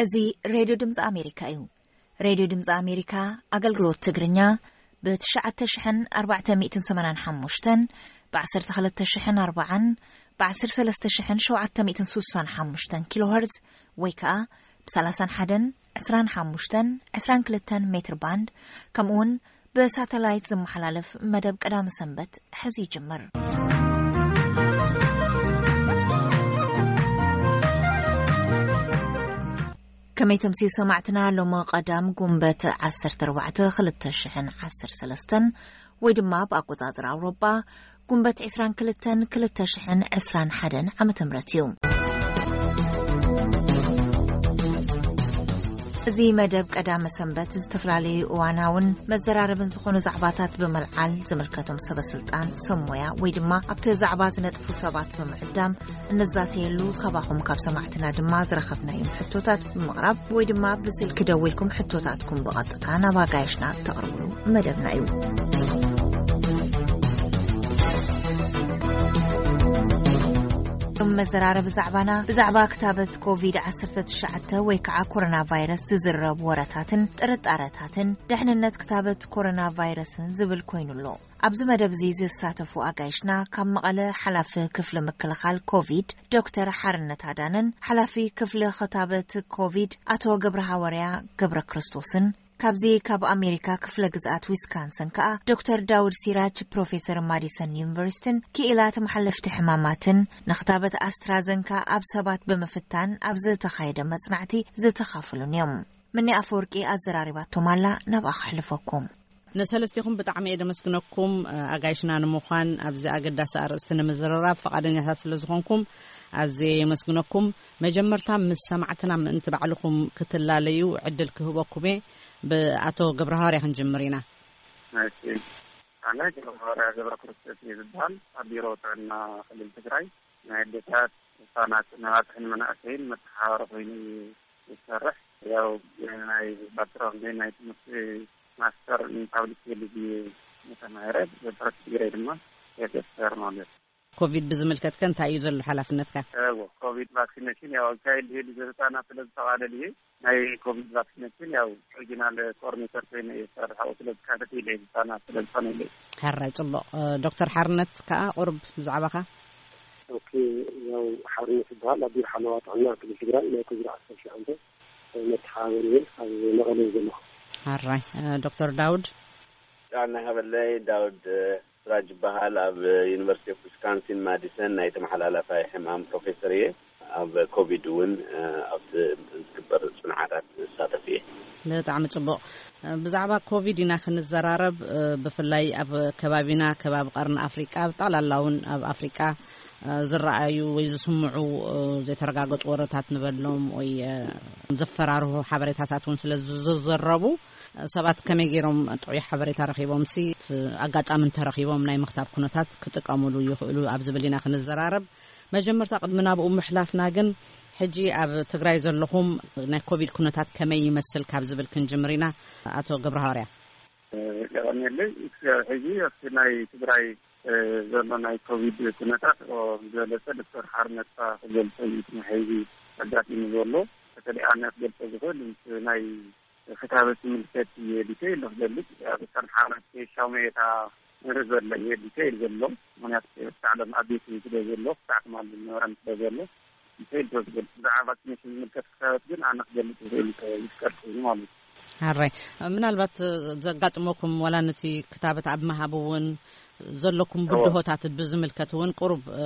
እዚ ሬድዮ ድምፂ ኣሜሪካ እዩ። ሬድዮ ድምፂ ኣሜሪካ ኣገልግሎት ትግርኛ ብ ትሽዓተ ሽሕን ኣርባዕተ ሚእትን ሰማንያን ሓሙሽተን፣ ብ ዓሰርተ ክልተ ሽሕን ኣርባዓን፣ ብ ዓሰርተ ሰለስተ ሽሕን ሸውዓተ ሚእትን ስሳን ሓሙሽተን ኪሎ ሄርዝ ወይ ከዓ ብ ሰላሳን ሓደን፣ ዕስራን ሓሙሽተን፣ ዕስራን ክልተን ሜትር ባንድ፣ ከምኡ እውን ብሳተላይት ዝመሓላለፍ መደብ ቀዳመ ሰንበት ሕዚ ይጅምር። ከመይ ተምስዩ ሰማዕትና፣ ሎሚ ቀዳም ጉንበት ዓሰርተ ኣርባዕተ ክልተ ሽሕን ዓሰርተ ሰለስተን ወይ ድማ ብኣቆጻጽራ ኣውሮጳ ጉንበት ዕስራን ክልተን ክልተ ሽሕን ዕስራን ሓደን ዓመተ ምህረት እዩ። እዚ መደብ ቀዳመ ሰንበት ዝተፈላለዩ እዋናውን መዘራረብን ዝኾኑ ዛዕባታት ብምልዓል ዝምልከቶም ሰበ ስልጣን፣ ሰብ ሞያ ወይ ድማ ኣብቲ ዛዕባ ዝነጥፉ ሰባት ብምዕዳም እንዛተየሉ፣ ካባኹም ካብ ሰማዕትና ድማ ዝረኸብናዮም ሕቶታት ብምቕራብ ወይ ድማ ብስልኪ ደዊልኩም ሕቶታትኩም ብቐጥታ ናብ ኣጋይሽና እተቕርብሉ መደብና እዩ። እቶም መዘራረቢ ዛዕባና ብዛዕባ ክታበት ኮቪድ ዓሰርተ ትሽዓተ ወይ ከዓ ኮሮና ቫይረስ ዝዝረቡ ወረታትን ጥርጣረታትን፣ ድሕንነት ክታበት ኮሮና ቫይረስን ዝብል ኮይኑ ኣሎ። ኣብዚ መደብ እዚ ዝሳተፉ ኣጋይሽና ካብ መቐለ ሓላፊ ክፍሊ ምክልኻል ኮቪድ ዶክተር ሓርነት ኣዳነን ሓላፊ ክፍሊ ክታበት ኮቪድ ኣቶ ገብረ ሃዋርያ ገብረ ክርስቶስን፣ ካብዚ ካብ ኣሜሪካ ክፍለ ግዝኣት ዊስካንሰን ከኣ ዶክተር ዳውድ ሲራጅ ፕሮፌሰር ማዲሰን ዩኒቨርሲቲን ክኢላ ተመሓለፍቲ ሕማማትን ንክታበት ኣስትራዘንካ ኣብ ሰባት ብምፍታን ኣብ ዝተኻየደ መጽናዕቲ ዝተኻፈሉን እዮም። ምኒ ኣፈወርቂ ኣዘራሪባቶም ኣላ፣ ናብኣ ከሕልፈኩም። ንሰለስቲኹም ብጣዕሚ እየ ደመስግነኩም፣ ኣጋይሽና ንምዃን ኣብዚ ኣገዳሲ ኣርእስቲ ንምዝርራብ ፈቓደኛታት ስለ ዝኾንኩም ኣዝየ የመስግነኩም። መጀመርታ ምስ ሰማዕትና ምእንቲ ባዕልኹም ክትላለዩ ዕድል ክህበኩም እየ። ብኣቶ ገብረሃዋርያ ክንጅምር ኢና። እሺ፣ ኣነ ገብረሃዋርያ ገብረ ክርስቶስ እየ ዝበሃል። ኣብ ቢሮ ጥዕና ክልል ትግራይ ናይ ኣዴታት፣ ህፃናት፣ ናይ ኣባፅሕን መናእሰይን መተሓባበሪ ኮይኑ እዩ ዝሰርሕ። ያው ናይ ባክግራውንድ ናይ ትምህርቲ ማስተር ኢን ፓብሊክ ሄልዝ እየ ተማሂረ። ብረት ዲግሪ ድማ ኤፍኤስአር ማለት። ኮቪድ ብዝምልከት ከ እንታይ እዩ ዘሎ ሓላፍነትካ? እዎ፣ ኮቪድ ቫክሲኔሽን ያው ኣካይድ ሄድ ህፃናት ስለ ዝተቓለል እየ። ናይ ኮቪድ ቫክሲኔሽን ያው ሪጂናል ኮኦርዲኔተር ኮይነ እየ ዝሰርሕ። ኣብኡ ስለ ዝካተት ኢለ ህፃናት ስለ ዝኾነ ኢለ። ሕራይ፣ ጽቡቕ። እ፣ ዶክተር ሓርነት ከኣ ቁሩብ ብዛዕባኻ። ኦኬ፣ ያው ሓርነት ይበሃል። ኣብ ቢሮ ሓለዋ ጥዕና ክልል ትግራይ ናይ ኮቪድ ዓሰርተ ሸውዓተ መተሓባበሪ እየ። ኣብ መቐለ እየ ዘለኹ። ሕራይ፣ እ፣ ዶክተር ዳውድ። ጥዕና ይሃበለይ። ዳውድ፣ እ፣ ስራጅ ይበሃል። ኣብ ዩኒቨርሲቲ ኦፍ ዊስካንሲን ማዲሰን ናይ ተመሓላላፋይ ሕማም ፕሮፌሰር እየ። ኣብ ኮቪድ እውን፣ እ፣ ኣብቲ ዝግበር ጽንዓታት ዝሳተፍ እየ። ብጣዕሚ ጽቡቕ። ብዛዕባ ኮቪድ ኢና ክንዘራረብ። ብፍላይ ኣብ ከባቢና፣ ከባቢ ቀርኒ ኣፍሪቃ፣ ብጠቕላላ እውን ኣብ ኣፍሪቃ ዝረኣዩ ወይ ዝስምዑ ዘይተረጋገጹ ወረታት ንበሎም ወይ ዘፈራርሁ ሓበሬታታት እውን ስለ ዝዘረቡ፣ ሰባት ከመይ ገይሮም ጥዑይ ሓበሬታ ረኺቦም ሲ ኣጋጣሚ እንተረኺቦም ናይ ምኽታብ ኩነታት ክጥቀሙሉ ይኽእሉ ኣብ ዝብል ኢና ክንዘራረብ። መጀመርታ ቅድሚ ናብኡ ምሕላፍና ግን፣ ሕጂ ኣብ ትግራይ ዘለኹም ናይ ኮቪድ ኩነታት ከመይ ይመስል ካብ ዝብል ክንጅምር ኢና። ኣቶ ገብረሃዋርያ። የቐንየለይ። እስከ ሕጂ ኣብቲ ናይ ትግራይ፣ እ፣ ዘሎ ናይ ኮቪድ ኩነታት፣ ኦ፣ ዝበለጸ ዶክተር ሓርነትካ ክገልጾ እዩ። እቲ ናይ ሕጂ ኣጋጢሙ ዘሎ፣ በተለይ ኣነ ክገልጾ ዝኽእል ምስ ናይ ክታበት ዝምልከት እየ ዲቴይል ክገልጽ። ኣብ ሸንሓ ናይ ሻሙኤታ ንርኢ ዘሎ እየ ዲቴይል ዘሎ። ምክንያቱ ክሳዕ ሎም ኣብ ቤት እዩ ስለ ዘሎ፣ ክሳዕ ትማሊ ዝነበረን ስለ ዘሎ፣ ዲቴይል ስለ ዝገልጽ። ብዛዕባ ቫክሲኔሽን ዝምልከት ክታበት ግን ኣነ ክገልጽ ዝኽእል ይፍቀድ ኮይኑ ማለት እዩ። ሓራይ፣ ምናልባት ዘጋጥመኩም ዋላ ነቲ ክታበት ኣብ ምሃብ እውን ዘለኩም እዎ። ብድሆታት ብዝምልከት እውን ቁሩብ፣ እ፣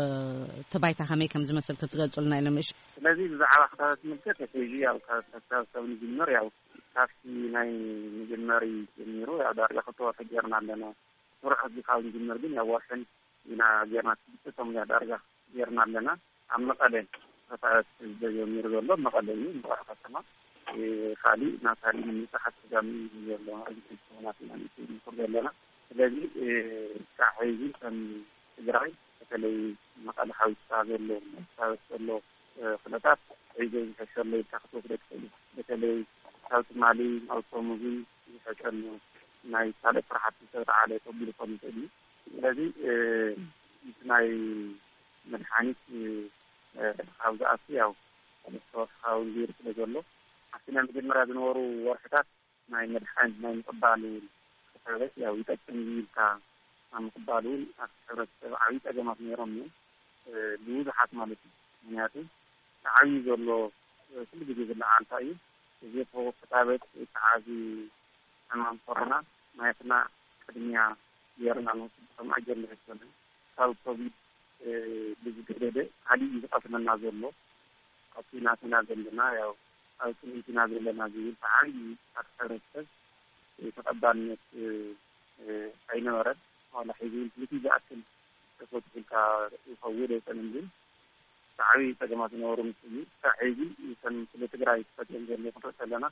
እቲ ባይታ ከመይ ከም ዝመስል ክትገልጹልና ኢሎም እሺ። ስለዚ ብዛዕባ ክታበት ዝምልከት፣ ሕጂ ያው ካብ፣ ካብ፣ ካብ ንጅምር፣ ያው ካብቲ ናይ መጀመሪ ጀሚሩ፣ ያው ዳርጋ ክልተ ወርሒ ጌርና ኣለና። ስሩዕ ሕጂ ካብ ንጅምር ግን፣ ያው ወርሕን ኢና ጌርና፣ ሽዱሽተ ሰሙን እያ ዳርጋ ጌርና ኣለና። ኣብ መቐለ ክታበት ተጀሚሩ ዘሎ፣ መቐለ እዩ፣ መቐለ ከተማ። እ፣ ካሊእ ናብ ካሊእ ንምብጻሕ ኣጸጋሚ እዩ ዘሎ። ኣብዚ ሰሙናት ኢና ንምክር ዘለና። ስለዚ፣ እ፣ ክሳዕ ሕዚ ከም ትግራይ፣ በተለይ መቐለ ሓዊስካ ዘሎ፣ ክታበት ዘሎ፣ እ፣ ኩነታት ሕዚ ዝሕሸሎ ኢልካ ክትወስዶ ትኽእል ኢኻ። በተለይ ካብ ትማሊ ናብ ሶሙዚ ዝሕሸሉ ናይ ካልእ ስራሕቲ ዝተለዓለ ተቢሉ ክኸውን ይኽእል እዩ። ስለዚ፣ እ፣ እቲ ናይ መድሓኒት፣ እ፣ ካብ ዝኣቱ ያው ሰለስተ ወርሒ ክኸውን ገይሩ ስለ ዘሎ፣ ኣብቲ ናይ መጀመርያ ዝነበሩ ወርሕታት ናይ መድሓኒት ናይ ምቕባል እውን፣ እቲ ሕብረት ያው ይጠቅም እዩ ኢልካ ኣብ ምቕባል እውን ኣብቲ ሕብረተሰብ ዓብዪ ፀገማት ነይሮም እዮም። እ፣ ብብዙሓት ማለት እዩ። ምክንያቱ እቲ ዓብዪ ዘሎ፣ እ፣ ኩሉ ግዜ ዝለዓል እንታይ እዩ? እዚ ተጣበቅ ወይ ከዓ እዚ ሕማም ኮሮና ናትና ቅድሚያ ጌርና ንወስድ ከም ኣጀንዳ ኣይኮነን። ካብ ኮቪድ፣ እ፣ ብዝገደደ ካሊእ እዩ ዝቐስመና ዘሎ። ኣብ ኩናት ኢና ዘለና፣ ያው ኣብ ጽምኢት ኢና ዘለና ዝብል ብዓብዪ ኣብ ሕብረተሰብ ተቐባልነት፣ እ፣ እ፣ ኣይነበረን። ዋላ ሕዚ እውን ክልቲኡ ዝኣክል ተፈቲሑልካ ይኸውን ኣይኮነን፣ ግን ብዓብዪ ጸገማት ዝነበሩ ምስ እዩ። ክሳዕ ሕዚ ከም ስለ ትግራይ ተፈጢሮም ዘለዉ ክንርኢ ከለና፣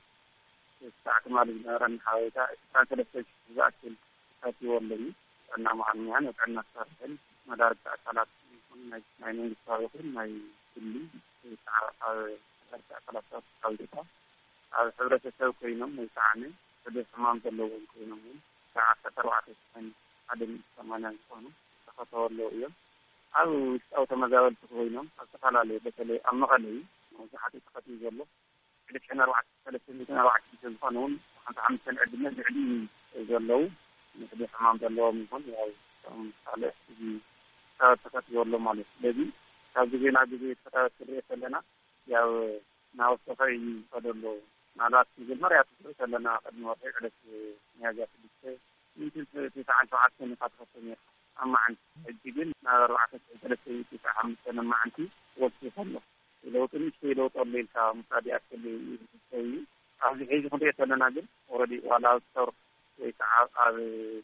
ክሳዕ ትማሊ ዝነበረና ሓበሬታ ዕስራን ሰለስተን ሽሕ ዝኣክል ተፈቲዎ ኣሎ እዩ። ጥዕና መዓልምያን ኣብ ጥዕና ክሰርሕን መዳርግቲ ኣካላት ይኹን ናይ፣ ናይ መንግስታዊ ይኹን ናይ ግሊ ወይ ከዓ ኣብ መዳርግቲ ኣካላት ካብ ኢትዮጵያ ኣብ ሕብረተሰብ ኮይኖም ወይ ከዓ ሕዱር ሕማም ዘለዎም ኮይኖም እውን ክሳዕ ዓሰርተ ኣርባዕተ ሽሕን ሓደ ሚእቲ ሰማንያን ዝኾኑ ተኸተቡ ኣለዉ እዮም። ኣብ ውሽጣዊ ተመዛበልቲ ኮይኖም ኣብ ዝተፈላለዩ በተለይ ኣብ መቐለ እዩ መብዛሕትኡ ተኸቲቡ ዘሎ። ክልተ ሚእትን ኣርባዕተ ሰለስተ ሚእትን ኣርባዕተ ሚእትን ዝኾነ እውን ሓምሳ ሓሙሽተ ዕድመ ልዕሊ እዩ ዘለዉ። ንሕዱር ሕማም ዘለዎም ይኹን ያው እቶም ካልእ እዚ ተኸቲቡ ኣሎ ማለት እዩ። ስለዚ ካብ ግዜ ናብ ግዜ ተኸታተልቲ ክንሪኦ ከለና ያው እናወሰኸ እዩ ዝኸዶ ኣሎ። ምናልባት መጀመርያ ትርኢ ከለና ቅድሚ ወርሒ ዕለት ሚያዝያ ሽዱሽተ ሚእትን ተስዓን ሸውዓተን ኢኻ ትኸፍቶ ነይርካ ኣብ መዓልቲ። ሕጂ ግን ናብ ኣርባዕተ ሽሕን ሰለስተ ሚእትን ተስዓን ሓሙሽተን ኣብ መዓልቲ ወሲኹ ኣሎ። ለውጢ ንእሽተይ ለውጢ ኣሎ ኢልካ ምውሳድ ይኣክል እዩ ዝሕሰብ እዩ። ኣብዚ ሕዚ ክንሪኦ ከለና ግን ኦረዲ ዋላ ኣብ ስቶር ወይ ከዓ ኣብ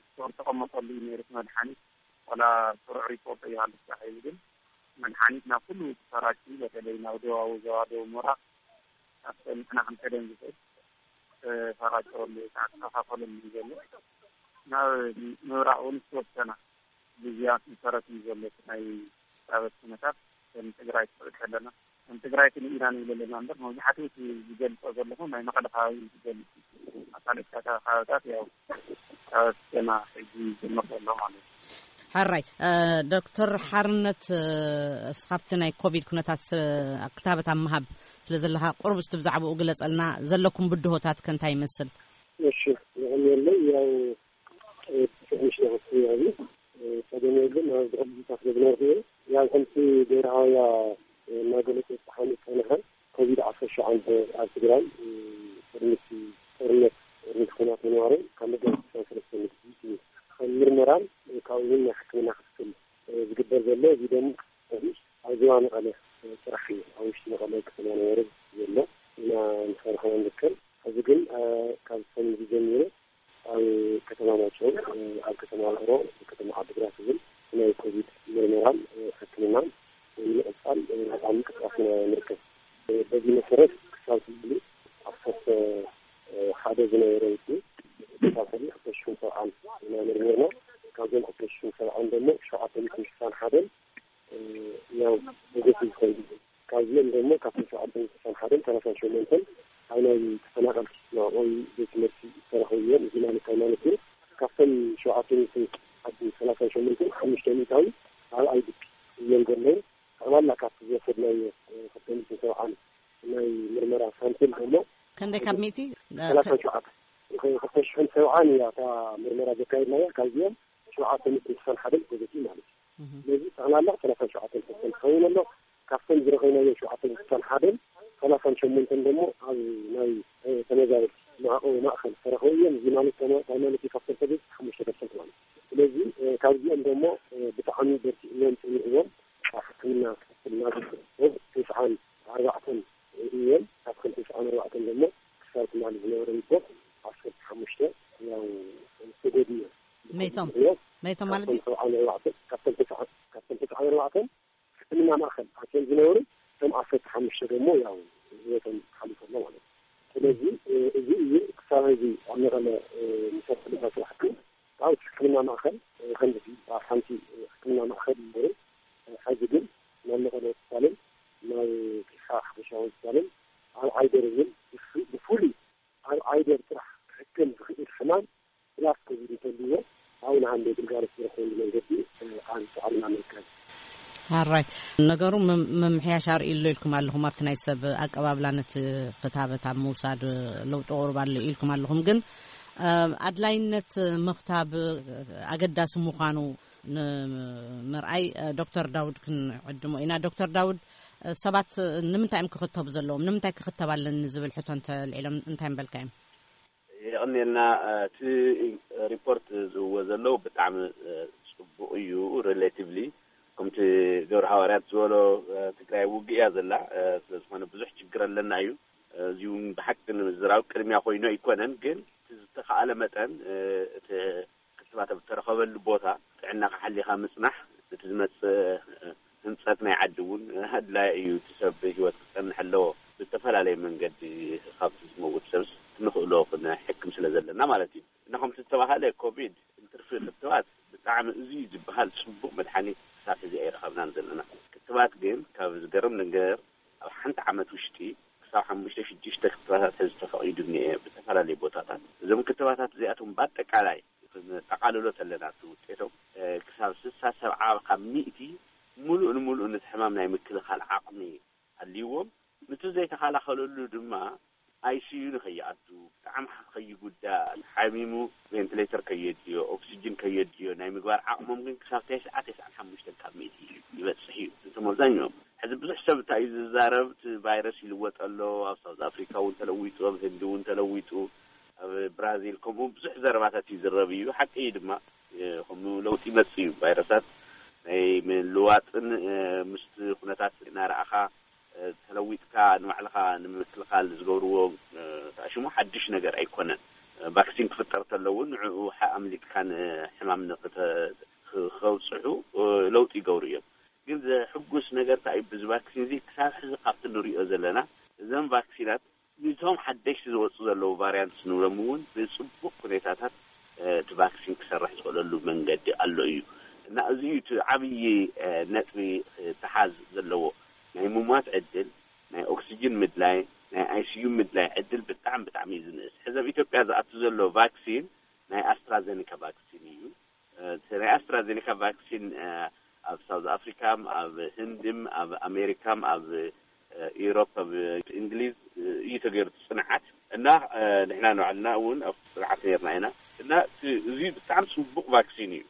ስቶር ተቐመጠሉ እዩ ነይሩ እቲ መድሓኒት። ዋላ ስሩዕ ሪፖርት ኣይሃሉ ስራሕ እዩ ግን መድሓኒት ናብ ኩሉ ተሰራጭ፣ በተለይ ናብ ደቡባዊ ዞባ ደቡብ ምብራቕ፣ ኣብተን ንሕና ክንከደን ዝኽእል ተሰራጨወሉ ወይ ከዓ ተኸፋፈለሉ እዩ ዘሎ። ናብ ምብራቕ እውን ዝተወሰና ግዝያት መሰረት እዩ ዘሎ እቲ ናይ ክታበት ኩነታት። ከም ትግራይ ክትርኢ ከለና፣ ከም ትግራይ ክንኢና ንብል ኣለና እምበር፣ መብዛሕትኡ እቲ ዝገልፆ ዘለኹ ናይ መቐለ ከባቢ እዩ ዝገልፅ። ኣብ ካልኦት ከባቢታት ያው ክታበት ገና ሕጂ ይጀምር ዘሎ ማለት እዩ። ሕራይ፣ እ፣ ዶክተር ሓርነት፣ እ፣ እስኻብቲ ናይ ኮቪድ ኩነታት፣ እ፣ ክታበት ኣብ ምሃብ ስለ ዘለኻ፣ ቁሩብ እስቲ ብዛዕባኡ ግለጸልና፣ ዘለኩም ብድሆታት ከ እንታይ ይመስል? እሺ፣ የቐንየለይ። ያው፣ እ፣ ትንሽ ነው እሱ ያሉ፣ እ፣ ቀደም ግን ኣብ ዝቕድሳት ለዝነርኩ፣ ያው፣ ከምቲ ብሄራውያ፣ እ፣ እናገለጸ ዝፀሓኑ ዝፀንሐ፣ ኮቪድ ዓሰርተ ሸውዓተ ኣብ ትግራይ፣ እ፣ ቅድሚ እቲ ጦርነት፣ ቅድሚ እቲ ኲናት ምንባሩ ካብ መጋቢት ዓሰርተ ሰለስተ ንግዲ ከም ምርመራን፣ እ፣ ካብኡ እውን ናይ ሕክምና ክትትል፣ እ፣ ዝግበር ዘሎ። እዚ ደሞ ኣብዚ ኣብ ዞባ መቐለ፣ እ፣ ጥራሕ እዩ። ኣብ ውሽጢ መቐለ ከተማ ነበረ ዘሎ ኢና ንሰርሖ ንርከብ። ሕዚ ግን፣ እ፣ ካብ ሰሙን እዚ ጀሚሩ ኣብ ከተማ ማይጨው፣ ኣብ ከተማ ውቕሮ፣ ኣብ ከተማ ዓዲግራት እውን ናይ ኮቪድ ምርመራን ሕክምናን ንምቕጻል ኣብ ምንቅስቃስ ኢና ንርከብ። በዚ መሰረት ክሳብ ሕጂ ዓሰርተ ሓደ ዝነበረ ውድድር ክሳብ ሕጂ ክልተ ሽሕን ሰብዓን ኢና መርሚርና። ካብዞም ክልተ ሽሕን ሰብዓን ደሞ ሸውዓተ ሚእትን ስሳን ሓደን ያው ፖዘቲቭ ኮይኑ፣ ካብዚኦም ደሞ ካብቶም ሸውዓተ ሚእትን ስሳን ሓደን ሰላሳን ሸሞንተን ኣብ ናይ ተፈናቐልቲ መዕቆቢ ቤት ትምህርቲ ዝተረኸቡ እዮም። እዚ ማለት እንታይ ማለት እዩ? ካብቶም ሸውዓተ ሚእትን ሰላሳን ሸሞንተን ሓሙሽተ ሚእታዊ ኣብ ኣይዲፒ እዮም ዘለዉ። ጠቕላላ ካብቲ ዝወሰድናዮ ክልተ ሚእትን ሰብዓን ናይ ምርመራ ሳምፕል ደሞ ክንደይ ካብ ሚእቲ? ሰላሳን ሸውዓተ፣ ክልተ ሽሕን ሰብዓን እያ እታ ምርመራ ዘካየድናያ። ካብዚኦም ሸውዓተ ሚእትን ስሳን ሓደን ፖዘቲቭ ማለት እዩ። እህ። ስለዚ ጠቕላላ ሰላሳን ሸውዓተን ፐርሰንት ክኸውን ኣሎ። ካብቶም ዝረኸብናዮ ሸውዓተ ሚእትን ስሳን ሓደን፣ ሰላሳን ሸሞንተን ደሞ ኣብ ናይ፣ እ፣ ተመዛበልቲ መዕቆቢ ማእከል ዝተረኸቡ እዮም። እዚ ማለት ተማ-፣ እንታይ ማለት እዩ? ካብቶም ፖዘቲቭ ሓሙሽተ ፐርሰንት ማለት እዩ። ስለዚ፣ እ፣ ካብዚኦም ደሞ፣ እ፣ ብጣዕሚ በርቲዕዎም፣ ጽኒዕዎም፣ ኣብ ሕክምና ክትትል እናገበሩ ተስዓን ኣርባዕተን እዮም። ካብቶም ተስዓን ኣርባዕተን ደሞ ክሳብ ትማሊ ዝነበረ ሪፖርት ዓሰርተ ሓሙሽተ ያው ተጎድኡ እዮም። መይቶም? እዮም። መይቶም ማለት ካብቶም እዩ? ሰብዓን ኣርባዕተን፣ ካብቶም ተስዓን፣ ካብቶም ተስዓን ኣርባዕተን ሕክምና ማእከል ኣትዮም ዝነበሩ፣ እቶም ዓሰርተ ሓሙሽተ ደሞ ያው ህይወቶም ሓሊፉ ኣሎ ማለት እዩ። ስለዚ፣ እ፣ እዚ እዩ ክሳብ ሕዚ ኣብ መቐለ፣ እ፣ ንሰርሐሉ ስራሕቲ። ኣብ ሕክምና ማእከል፣ እ፣ ከምዚ ኣብ ሓንቲ፣ እ፣ ሕክምና ማእከል ይነበሩ። እ፣ ሕዚ ግን ናብ መቐለ ሆስፒታልን ናብ ፊሓ ሓፈሻዊ ሆስፒታልን ኣብ ዓይደር እውን ብፍ-፣ ብፍሉይ ኣብ ዓይደር ጥራሕ ክሕከም ዝኽእል ሕማም ብላስ ኮቪድ እንተልዎ ኣብኡ ንሃንደ ግልጋሎት ዝረኽበሉ መንገዲ፣ እ፣ ኣብ ጻዕርና ንርከብ። ኣራይ፣ ነገሩ ምም- ምምሕያሽ ኣርእዩ ኣሎ ኢልኩም ኣለኹም። ኣብቲ ናይ ሰብ ኣቀባብላ ነቲ ክታበት ኣብ ምውሳድ ለውጢ ቁሩብ ኣሎ ኢልኩም ኣለኹም። ግን እ፣ ኣድላይነት ምኽታብ ኣገዳሲ ምዃኑ ንምርኣይ እ፣ ዶክተር ዳውድ ክንዕድሞ ኢና። ዶክተር ዳውድ፣ እ፣ ሰባት ንምንታይ እዮም ክኽተቡ ዘለዎም? ንምንታይ ክኽተብ ኣለኒ ዝብል ሕቶ እንተልዒሎም እንታይ ምበልካ እዮም? የቐንየልና። እቲ ሪፖርት ዝህዎ ዘለዉ ብጣዕሚ ጽቡቕ እዩ። ሪሌቲቭሊ ከምቲ ገብረ ሃዋርያት ዝበሎ፣ ትግራይ ውግእ እያ ዘላ። ስለዝኾነ ብዙሕ ችግር ኣለና እዩ። እዚ እውን ብሓቂ ንምዝራብ ቅድሚያ ኮይኑ ኣይኮነን፣ ግን እቲ ዝተኸኣለ መጠን እቲ ክትባት ኣብ እተረኸበሉ ቦታ ጥዕናኻ ሓሊኻ ምጽናሕ፣ እቲ ዝመጽእ ህንጸት ናይ ዓዲ እውን ኣድላይ እዩ። እቲ ሰብ ብህይወት ክጸንሕ ኣለዎ። ብዝተፈላለየ መንገዲ ካብቲ ዝመውት ሰብስ ክንኽእሎ ክንሕክም ስለ ዘለና ማለት እዩ። እና ከምቲ ዝተባሃለ ኮቪድ እንትርፊ ክትባት ብጣዕሚ እዚ ዝበሃል ጽቡቕ መድሓኒት ክሳብ ሕዚ ኣይረኸብናን ዘለና። ክትባት ግን ካብ ዝገርም ነገር ኣብ ሓንቲ ዓመት ውሽጢ ክሳብ ሓሙሽተ ሽዱሽተ ክትባታት ሕዚ ተፈቒዱ እኒኤ ብዝተፈላለዩ ቦታታት። እዞም ክትባታት እዚኣቶም ብኣጠቃላይ ክንጠቓልሎ ተለና እቲ ውጤቶም ክሳብ ስሳ ሰብዓ ካብ ሚእቲ ሙሉእ ንሙሉእ ነቲ ሕማም ናይ ምክልኻል ዓቕሚ ኣልይዎም። ነቲ ዘይተኸላኸለሉ ድማ ኣይሲዩ ንኸይኣቱ፣ ብጣዕሚ ከይጉዳእ፣ ሓሚሙ ቬንትሌተር ከየድልዮ፣ ኦክሲጅን ከየድልዮ ናይ ምግባር ዓቕሞም ግን ክሳብ ተስዓ ተስዓን ሓሙሽተን ካብ ሚእቲ ይበፅሕ እዩ። እቶም ኣብዛኛኦም ሕዚ ብዙሕ ሰብ እንታይ እዩ ዝዛረብ? እቲ ቫይረስ ይልወጥ ኣሎ፣ ኣብ ሳውዝ ኣፍሪካ እውን ተለዊጡ፣ ኣብ ህንዲ እውን ተለዊጡ፣ ኣብ ብራዚል ከምኡ ብዙሕ ዘረባታት እዩ ዝረብ እዩ። ሓቂ እዩ ድማ ከምኡ ለውጢ ይመፅእ እዩ። ቫይረሳት ናይ ምልዋጥን ምስቲ ኩነታት እናረኣኻ ተለዊጥካ ንባዕልኻ ንምክልኻል ዝገብርዎ ተኣሽሙ ሓድሽ ነገር ኣይኮነን። ቫክሲን ክፍጠር ተለውን ንዕኡ ኣምሊጥካ ንሕማም ከብፅሑ ለውጢ ይገብሩ እዮም። ግን ዘሕጉስ ነገር እንታይ እዩ? ብዚ ቫክሲን እዚ ክሳብ ሕዚ ካብቲ ንሪኦ ዘለና እዘን ቫክሲናት ንቶም ሓደሽቲ ዝወፁ ዘለዉ ቫሪያንትስ ንብሎም እውን ብፅቡቕ ኩኔታታት እቲ ቫክሲን ክሰርሕ ዝኽእለሉ መንገዲ ኣሎ እዩ። እና እዚ እዩ እቲ ዓብዪ ነጥቢ ክተሓዝ ዘለዎ። ናይ ምሟት ዕድል፣ ናይ ኦክሲጅን ምድላይ፣ ናይ ኣይሲዩ ምድላይ ዕድል ብጣዕሚ ብጣዕሚ እዩ ዝንእስ። ሕዚ ኣብ ኢትዮጵያ ዝኣቱ ዘሎ ቫክሲን ናይ ኣስትራዘኒካ ቫክሲን እዩ። እቲ ናይ ኣስትራዜኒካ ቫክሲን ኣብ ሳውዝ ኣፍሪካም ኣብ ህንድም ኣብ ኣሜሪካም ኣብ ኢሮፕ ኣብ እንግሊዝ እዩ ተገይሩ እቲ ፅንዓት። እና ንሕና ንባዕልና እውን ኣብ ፅንዓት ነርና ኢና። እና እዚ ብጣዕሚ ፅቡቅ ቫክሲን እዩ።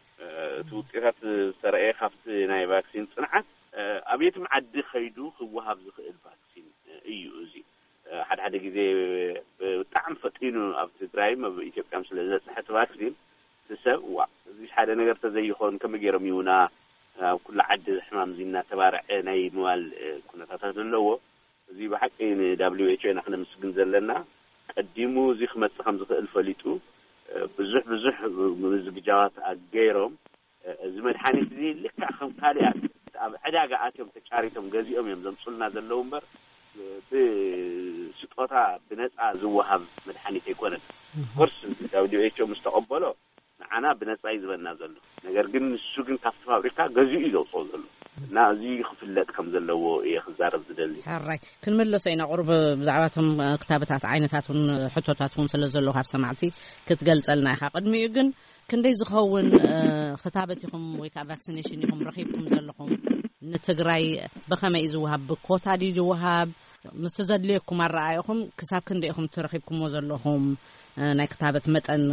እቲ ውጤታት ዝተረእየ ካብቲ ናይ ቫክሲን ፅንዓት ኣብ የትም ዓዲ ከይዱ ክወሃብ ዝኽእል ቫክሲን እዩ። እዚ ሓደ ሓደ ግዜ ብጣዕሚ ፈጢኑ ኣብ ትግራይም ኣብ ኢትዮጵያም ስለ ዝበፅሐ እቲ ቫክሲን እቲ ሰብ ዋ እዚስ ሓደ ነገር ተዘይኾን ከመይ ገይሮም ይውና ኣብ ኩሉ ዓዲ ሕማም እዚ እናተባርዐ ናይ ምባል ኩነታታት ኣለዎ። እዚ ብሓቂ ን WHO ኢና ክነምስግን ዘለና። ቀዲሙ እዚ ክመፅእ ከም ዝኽእል ፈሊጡ ብዙሕ ብዙሕ ምዝግጃዋት ኣገይሮም እዚ መድሓኒት እዚ ልክዕ ከም ካሊኣት ኣብ ዕዳጋ ኣትዮም ተጫሪቶም ገዚኦም እዮም ዘምፁልና ዘለዉ እምበር ብስጦታ ብነፃ ዝወሃብ መድሓኒት ኣይኮነን። ኮርስ WHO ምስ ተቐበሎ ንዓና ብነፃ እዩ ዝበና ዘሎ። ነገር ግን ንሱ ግን ካብቲ ፋብሪካ ገዚኡ እዩ ዘውፅኦ ዘሎ እና እዚ ክፍለጥ ከም ዘለዎ እየ ክዛረብ ዝደሊ። ሕራይ ክንምለሶ ኢና። ቁሩብ ብዛዕባ እቶም ክታበታት ዓይነታት እውን ሕቶታት እውን ስለ ዘለዉ ካብ ሰማዕቲ ክትገልፀልና ኢኻ። ቅድሚኡ ግን ክንደይ ዝኸውን ክታበት ኢኹም ወይ ከዓ ቫክሲኔሽን ኢኹም ረኺብኩም ዘለኹም? ንትግራይ ብኸመይ እዩ ዝወሃብ? ብኮታ ድዩ ዝወሃብ? ምስቲ ዘድልየኩም ኣረኣኢኹም ክሳብ ክንደይ ኢኹም ትረኺብኩምዎ ዘለኹም ናይ ክታበት መጠን?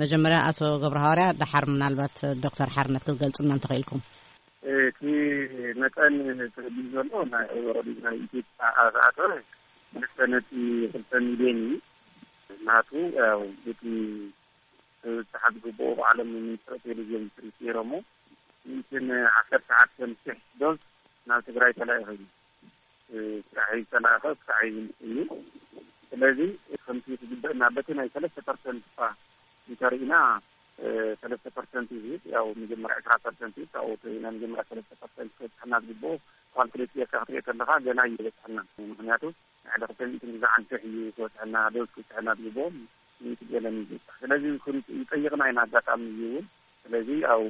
መጀመርያ ኣቶ ገብረ ሃዋርያ፣ ደሓር ምናልባት ዶክተር ሓርነት ክትገልፁልና እንተኽኢልኩም። እቲ መጠን ተረዲኡ ዘሎ ናይ ኦሮዲ ናይ ኢትዮጵያ ኣተኣተወ ክልተ ነጥቢ ክልተ ሚልዮን እዩ። ናቱ ያው እቲ ዝተሓዝግብኦ ባዕሎም ሚኒስትር ቴሌቪዥን ትሪት ነይሮሞ ሚእትን ዓሰርተ ሓደን ሽሕ ዶዝ ናብ ትግራይ ተላኢኹ እዩ። ስራሕ ዝተላእኸ ስራሕ እዩ እዩ። ስለዚ ከምቲ ዝግበእና በቲ ናይ ሰለስተ ፐርሰንት እኳ እንተርኢና ሰለስተ ፐርሰንት እዩ ዝህብ። ያው መጀመርያ ዕስራ ፐርሰንት እዩ ካብኡ ተሪኢና መጀመርያ ሰለስተ ፐርሰንት ክበፅሐና ዝግብኦ ካልኩሌት ጌርካ ክትሪኦ ከለካ ገና እዩ ዝበፅሐና። ምክንያቱ ንሕደ ክልተ ሚእትን ግዛዓን ሽሕ እዩ ክበፅሐና ዶዝ ክብፅሐና ዝግብኦ ሚእቲ ገለን እዩ ዝበፅሕ። ስለዚ ይጠይቕና ኢና ኣጋጣሚ እዩ እውን ስለዚ ያው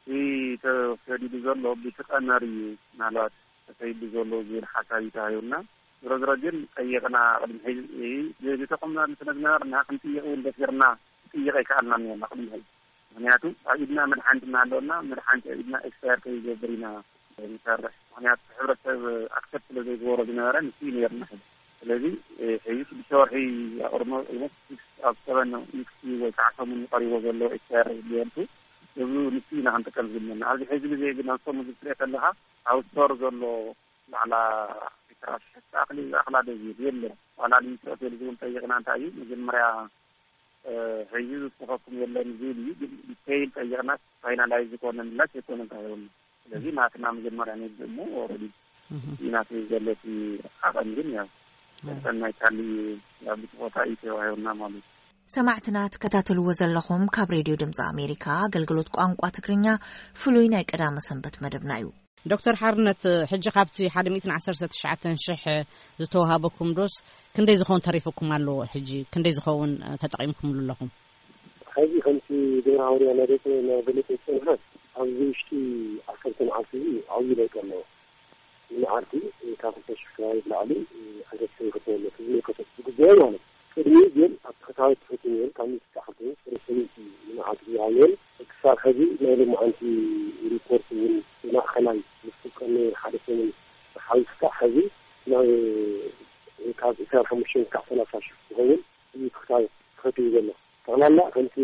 እቲ ተሰዲዱ ዘሎ ብቲ ቀመር እዩ ምናልባት ተሰይዱ ዘሎ ዝብል ሓሳብ እዩ ተሃዩና። ዝሮ ዝሮ ግን ጠይቕና ቅድሚ ሕዚ ዝተቆምና ስለ ዝነበርና ክንጥይቕ እውን ደፊርና ክጥይቕ ኣይከኣልና ነርና ቅድሚ ሕዚ። ምክንያቱ ኣብ ኢድና መድሓንቲ እናሃለወና መድሓንቲ ኣብ ኢድና ኤክስፓየር ከይገብር ኢና ንሰርሕ። ምኽንያቱ ሕብረተሰብ ኣክሰፕት ስለ ዘይገበሮ ዝነበረ ንሱ እዩ ነይርና። ሕዚ ስለዚ ሕዚ ሽዱሽተ ወርሒ ኣቅርሞ ኦልሞስት ኣብ ሰበን ዊክስ ወይ ከዓ ሰሙን ቀሪቦ ዘሎ ኤክስፓየር ሊየንቱ እዚ ንሱ ኢና ክንጥቀም ዝግመና። ኣብዚ ሕዚ ግዜ ግን ኣብ ሰሙን ዝትሪኦ ከለካ ኣብ ስቶር ዘሎ ባዕላ ዒስራ ሽሕ ኣክሊ ዝኣክላ ደዚሉ የለን። ዋላ ንሚስጥር ሆቴል ዝብል ጠይቅና እንታይ እዩ መጀመርያ ሕዚ ዝፅፈኩም የለን ዝብል እዩ። ግን ዲቴይል ጠይቅና ፋይናላይዝ ዝኾነ ምላሽ የኮነ እንታይ ይሆን። ስለዚህ ናትና መጀመርያ ንብድእ እሞ ኦረዲ ናት ዘለቲ ዓቐን ግን ያው ሰናይ ካሊ ያው ብፅፎታ እዩ ተባሂቡና ማለት እዩ። ሰማዕትና ትከታተልዎ ዘለኹም ካብ ሬድዮ ድምፂ ኣሜሪካ ኣገልግሎት ቋንቋ ትግርኛ ፍሉይ ናይ ቀዳመ ሰንበት መደብና እዩ። ዶክተር ሓርነት፣ ሕጂ ካብቲ ሓደ ሚእትን ዓሰርተ ትሽዓተን ሽሕ ዝተዋሃበኩም ዶስ ክንደይ ዝኸውን ተሪፉኩም ኣሎ? ሕጂ ክንደይ ዝኸውን ተጠቒምኩምሉ ኣለኹም? ሕዚ ከምቲ ግብረ ሃዋርያ ናገለፀ ናገለፀ ዝፀንሐ ኣብዚ ውሽጢ ዓሰርተ መዓልቲ እዚ ዓብዪ ለውጢ ኣለዎ። ንመዓልቲ ካብ ክልተ ሽሕ ከባቢ ብላዕሊ ሕደት ይኽተበለት ዝመልከቶ ዝግበኦ ማለት እዩ። ቅድሚ ግን ኣብ ተኸታዊ ትሕቲ ነይሩ ካብ ሚእቲ ተዓርቱ ወደ ሰበይቲ ንመዓልቲ ዝሃብ ነይሩ። ክሳብ ሕዚ ናይ ሎማዓንቲ ሪፖርት እውን ማእኸላይ ምስ ፍቀድ ነይሩ ሓደ ሰሙን ሓዊስካ ሕዚ ናብ ካብ ዕስራን ሓሙሽተን ክሳብ ሰላሳ ሽሕ ዝኸውን እዩ ተኸታዊ ተኸቲቡ ዘሎ። ጠቕላላ ከምቲ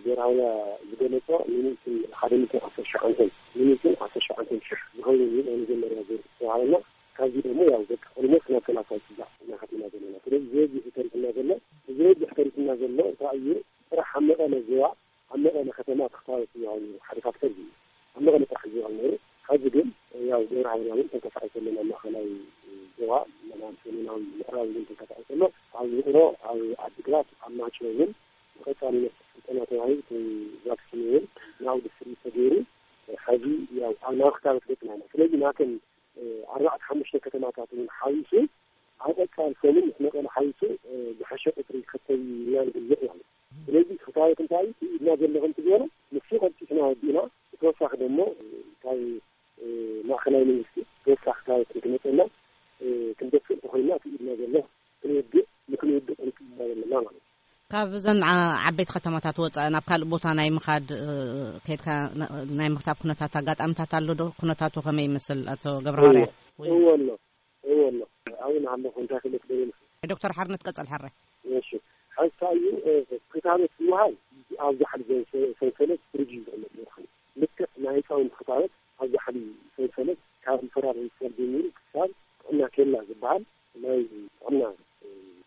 ብሄራውያ ዝገለጾ ሚኒትን ሓደ ሚትን ዓሰርተ ሸውዓንተን ሚኒትን ዓሰርተ ሸውዓንተን ሽሕ ዝኸውን እዩ ናይ መጀመርያ ዙር ዝተባሃለና። ካብዚ ደግሞ ያው በቃ ኦልሞስት ናብ ሰላሳ ይጽጋዕ እናኸድና ዘለና። ስለዚህ ዝበዝሕ ተሪፍና ዘሎ ዝበዝሕ ተሪፍና ዘሎ እንታይ እዩ? ስራሕ ኣብ መቐለ ዞባ ኣብ መቐለ ከተማ ተኽታወት ዝባሃል ሓደ ፋክተር እዩ። ኣብ መቐለ ጥራሕ ዝባሃል ነይሩ። ሕዚ ግን ያው ብሄራውያ እውን ተንቀሳቒሱ ኣለና ማእኸላይ ዞባ ሰሜናዊ ምዕራብ እውን ተንቀሳቒሱ ኣሎ። ኣብ ውቕሮ ኣብ ዓዲግራት ኣብ ማይጨው እውን ብቐጻሊ መስርሕ ስልጠና ተባሂሉ እቲ ቫክሲን እውን ናብኡ ዲስትሪቢዩት ተገይሩ ሕዚ ያው ኣብ ናብ ክታበት ገፅና ኢና። ስለዚ ናተን ኣርባዕተ ሓሙሽተ ከተማታት እውን ሓዊሱ ኣብ ቀፃሊ ሰሙን ምስ መቐለ ሓዊሱ ዝሐሸ ቁፅሪ ይከተብ ኢና ንግምት ማለት እዩ። ስለዚ ክታበት እንታይ ኢድና ዘሎ ከምቲ ዝበሎ ንሱ ቀልጢፍና ወዲእና ብተወሳኺ ደሞ ካብ ማእኸላይ መንግስቲ ተወሳኺ ክታበት ንክመፀና ክንደፍእ እንተኮይና እቲ ኢድና ዘሎ ክንወድእ ንክንወድእ ጠንቂቕና ዘለና ማለት እዩ። ካብ እዘን ዓበይቲ ከተማታት ወፃኢ ናብ ካልእ ቦታ ናይ ምኻድ ከይድካ ናይ ምኽታብ ኩነታት ኣጋጣሚታት ኣሎ ዶ? ኩነታቱ ከመይ ይመስል ኣቶ ገብረሃርያ? እወ ኣሎ እወ ኣሎ ኣብኡ ንሃለኹ እንታይ ክልክ ደይም ዶክተር ሓርነት ቀፀል ሓራይ እሺ ሓንሳ እዩ ክታበት ዝወሃብ ኣብ ዛሕሊ ሰንሰለት ፍሪጅ ዝቕመጥ መድሓኒ ልክዕ ናይ ህፃውንቲ ክታበት ኣብ ዛሕሊ ሰንሰለት ካብ ሪፈራል ሆስፒታል ጀሚሩ ክሳብ ጥዕና ኬላ ዝበሃል ናይ ጥዕና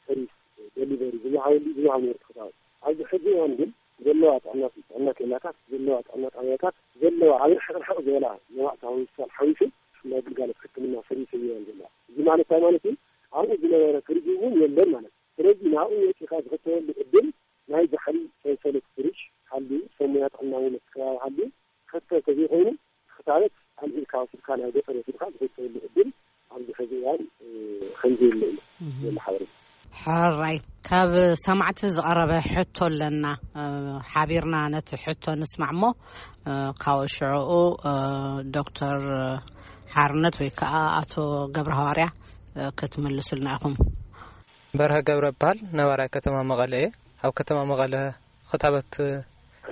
ሰርቪስ ደሊቨሪ ዝወሃበሉ ዝወሃብ ነበርት ክታበት ኣብዚ ሕዚ እዋን ግን ዘለዋ ጥዕና ጥዕና ኬላታት ዘለዋ ጥዕና ጣብያታት ዘለዋ ኣብ ርሕቕ ርሕቕ ዝበላ መባእታዊ ሆስፒታል ሓዊሱ ናይ ግልጋሎት ሕክምና ሰርቪስ እየን ዘለዋ። እዚ ማለት እንታይ ማለት እዩ? ኣብኡ ዝነበረ ፍሪጅ እውን የለን ማለት እዩ። ስለዚ ናብኡ ወፂኻ ዝኽተበሉ ዕድል ናይ ዛሕሊ ሰንሰለት ፍሪጅ ሃልዩ ሰብ ሞያ ጥዕና እውን ኣብቲ ከባቢ ሃልዩ ክኽተብ ተዘይኮይኑ ክታበት ኣልዒልካ ወሲድካ ናብ ገጠር ወሲድካ ዝኽተበሉ ዕድል ኣብዚ ሕዚ እዋን ከምዘየለ እዩ ዘሎ ሓበሬታ። ሕራይ ካብ ሰማዕቲ ዝቐረበ ሕቶ ኣለና። ሓቢርና ነቲ ሕቶ ንስማዕ እሞ ካብ ሽዑኡ ዶክተር ሓርነት ወይ ከዓ ኣቶ ገብረ ሃዋርያ ክትምልሱልና ኢኹም። በርሀ ገብረ እበሃል። ነባራይ ከተማ መቐለ እየ። ኣብ ከተማ መቐለ ክታበት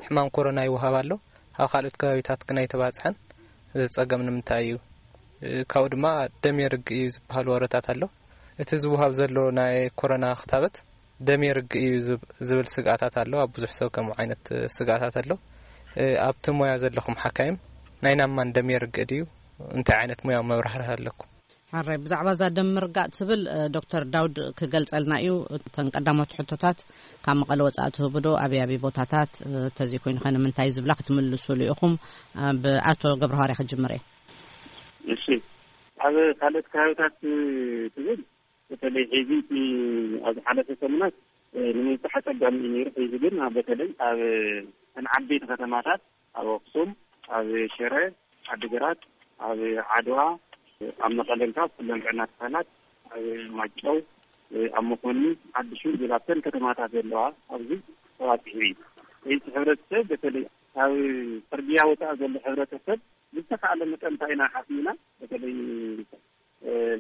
ሕማም ኮሮና ይወሃብ ኣሎ። ኣብ ካልኦት ከባቢታት ግን ኣይተባፅሐን። እዚ ፀገም ንምንታይ እዩ? ካብኡ ድማ ደም የርግ እዩ ዝበሃል ወረታት ኣሎ። እቲ ዝወሃብ ዘሎ ናይ ኮሮና ክታበት ደም የርግ እዩ ዝብ- ዝብል ስግኣታት ኣሎ። ኣብ ብዙሕ ሰብ ከምኡ ዓይነት ስግኣታት ኣሎ። ኣብቲ ሞያ ዘለኹም ሓካይም ናይ ናማን ደም የርግ ድዩ? እንታይ ዓይነት ሙያዊ መብራህርህ ኣለኩም? ሕራይ ብዛዕባ እዛ ደም ምርጋእ ትብል ዶክተር ዳውድ ክገልጸልና እዩ። እተን ቀዳሞት ሕቶታት ካብ መቐለ ወጻኢ ትህቡ ዶ? ኣበይ ኣበይ ቦታታት ተዘይኮይኑ ከ ንምንታይ ዝብላ ክትምልሱሉ ኢኹም። ብኣቶ ገብረሃዋርያ ክጅምር እየ። እሺ ኣብ ካልኦት ከባቢታት ትብል በተለይ ሕዚ እቲ ኣብ ዝሓለፈ ሰሙናት ንምብጻሕ ኣጸጋሚ እዩ ነይሩ። ሕዚ ግን በተለይ ኣብ ተን ዓበይቲ ከተማታት ኣብ ኣክሱም፣ ኣብ ሽረ፣ ዓዲግራት፣ ኣብ ዓድዋ፣ ኣብ መቐለ እንካ ኩለን ጥዕና ትካላት ኣብ ማጨው፣ ኣብ መኮኒ፣ ዓዲ ሹል ዝብል ኣብተን ከተማታት ዘለዋ ኣብዚ ተባፂሑ እዩ። እቲ ሕብረተሰብ በተለይ ካብ ፅርግያ ወፃኢ ዘሎ ሕብረተሰብ ብዝተካኣለ መጠን እንታይ ኢና ሓሲብና በተለይ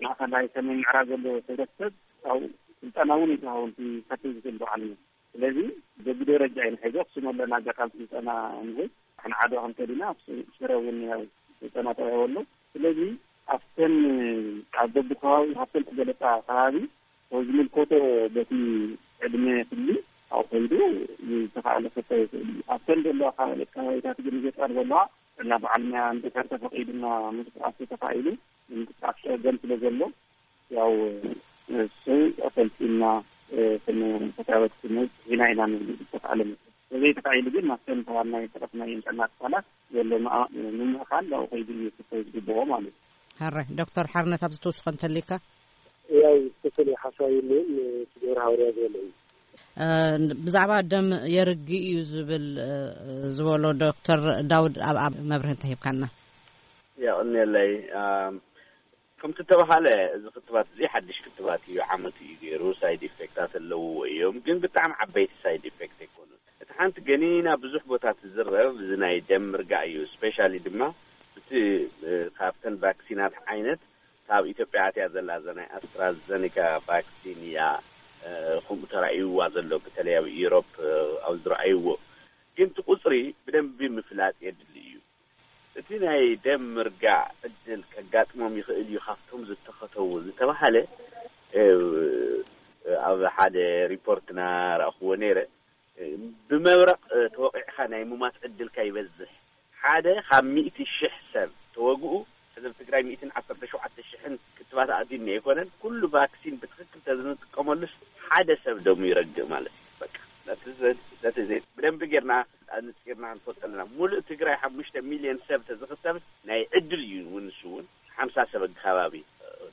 ማእኸላይ ሰሜን ምዕራብ ዘሎ ሕብረተሰብ ካብኡ ስልጠና እውን ይተሃውን ከትብ ዝኽእል በዓል እዩ። ስለዚ በብደረጃ ኢና ሕዚ ኣክሱም ኣለና ኣጋጣሚ ስልጠና ንህብ ንዓዶ ክንከድ ኢና ሽረ እውን ያው ስልጠና ተዋሂቡ ኣሎ። ስለዚ ኣብተን ኣብ በብከባቢ ሃፍተን ዝገለፃ ከባቢ ዝምልከቶ በቲ ዕድመ ክሊ ኣብኡ ከይዱ ዝተኻእለ ክልተ ይኽእል እዩ። ኣብተን ዘለዋ ከባቢ ከባቢታት ግን ገጠር ዘለዋ እና በዓል ሞያ እንድሕር ተፈቒዱና ምንቅስቃስ ተኻኢሉ ምንቅስቃስ ፀገም ስለ ዘሎ ያው እሱ ኣፈልጢና ክንተታበት ክንብል ኢና ኢና ንብል ዝተኻእለ መጠን። ተዘይተኻኢሉ ግን ናብተን ተዋናይ ተረፍናየን ጥዕና ትካላት ዘሎ ምምእኻል ኣብኡ ከይዱ እዩ ክፈይ ዝግብኦ ማለት እዩ። ሕረ ዶክተር ሓርነት ኣብዚ ትውስኾ እንተሊካ? ያው ትክክል ሓሳብ የለይም። ትገብር ሃወርያ ዝበለ እዩ። ብዛዕባ ደም የርግ እዩ ዝብል ዝበሎ ዶክተር ዳውድ ኣብኣ መብርህ እንተሂብካና። የቕንየለይ። ከምቲ ተባሃለ እዚ ክትባት እዚ ሓድሽ ክትባት እዩ። ዓመት እዩ ገይሩ። ሳይድ ኢፌክታት ኣለውዎ እዮም፣ ግን ብጣዕሚ ዓበይቲ ሳይድ ኢፌክት ኣይኮኑን። እቲ ሓንቲ ገኒና ብዙሕ ቦታ ትዝረብ እዚ ናይ ደም ምርጋእ እዩ። ስፔሻሊ ድማ እቲ ካብተን ቫክሲናት ዓይነት ካብ ኢትዮጵያ ኣትያ ዘላ እዛ ናይ ኣስትራዘኒካ ቫክሲን እያ። ከምኡ ተራእይዋ ዘሎ፣ በተለይ ኣብ ኢሮፕ ኣብ ዝረኣይዎ። ግን እቲ ቁፅሪ ብደንቢ ምፍላጥ የድሊ እዩ። እቲ ናይ ደም ምርጋእ ዕድል ከጋጥሞም ይኽእል እዩ ካብቶም ዝተኸተቡ ዝተባሃለ ኣብ ሓደ ሪፖርትና ረእኽዎ ነይረ። ብመብረቕ ተወቒዕካ ናይ ሙማት ዕድልካ ይበዝሕ። ሓደ ካብ ሚእቲ ሽሕ ሰብ ተወግኡ። ሕዚ ኣብ ትግራይ ሚእትን ዓሰርተ ሸውዓተ ሽሕን ክትባት ኣእትዩኒ ኣይኮነን። ኩሉ ቫክሲን ብትኽክል ተዝንጥቀመሉስ ሓደ ሰብ ደሙ ይረግእ ማለት እዩ። በቃ ብደንቢ ጌርና ኣንፂርና ክንፈልጦ ኣለና። ሙሉእ ትግራይ ሓሙሽተ ሚልዮን ሰብ ተዝኽተብ ናይ ዕድል እዩ እውን ንሱ እውን ሓምሳ ሰብ ኣከባቢ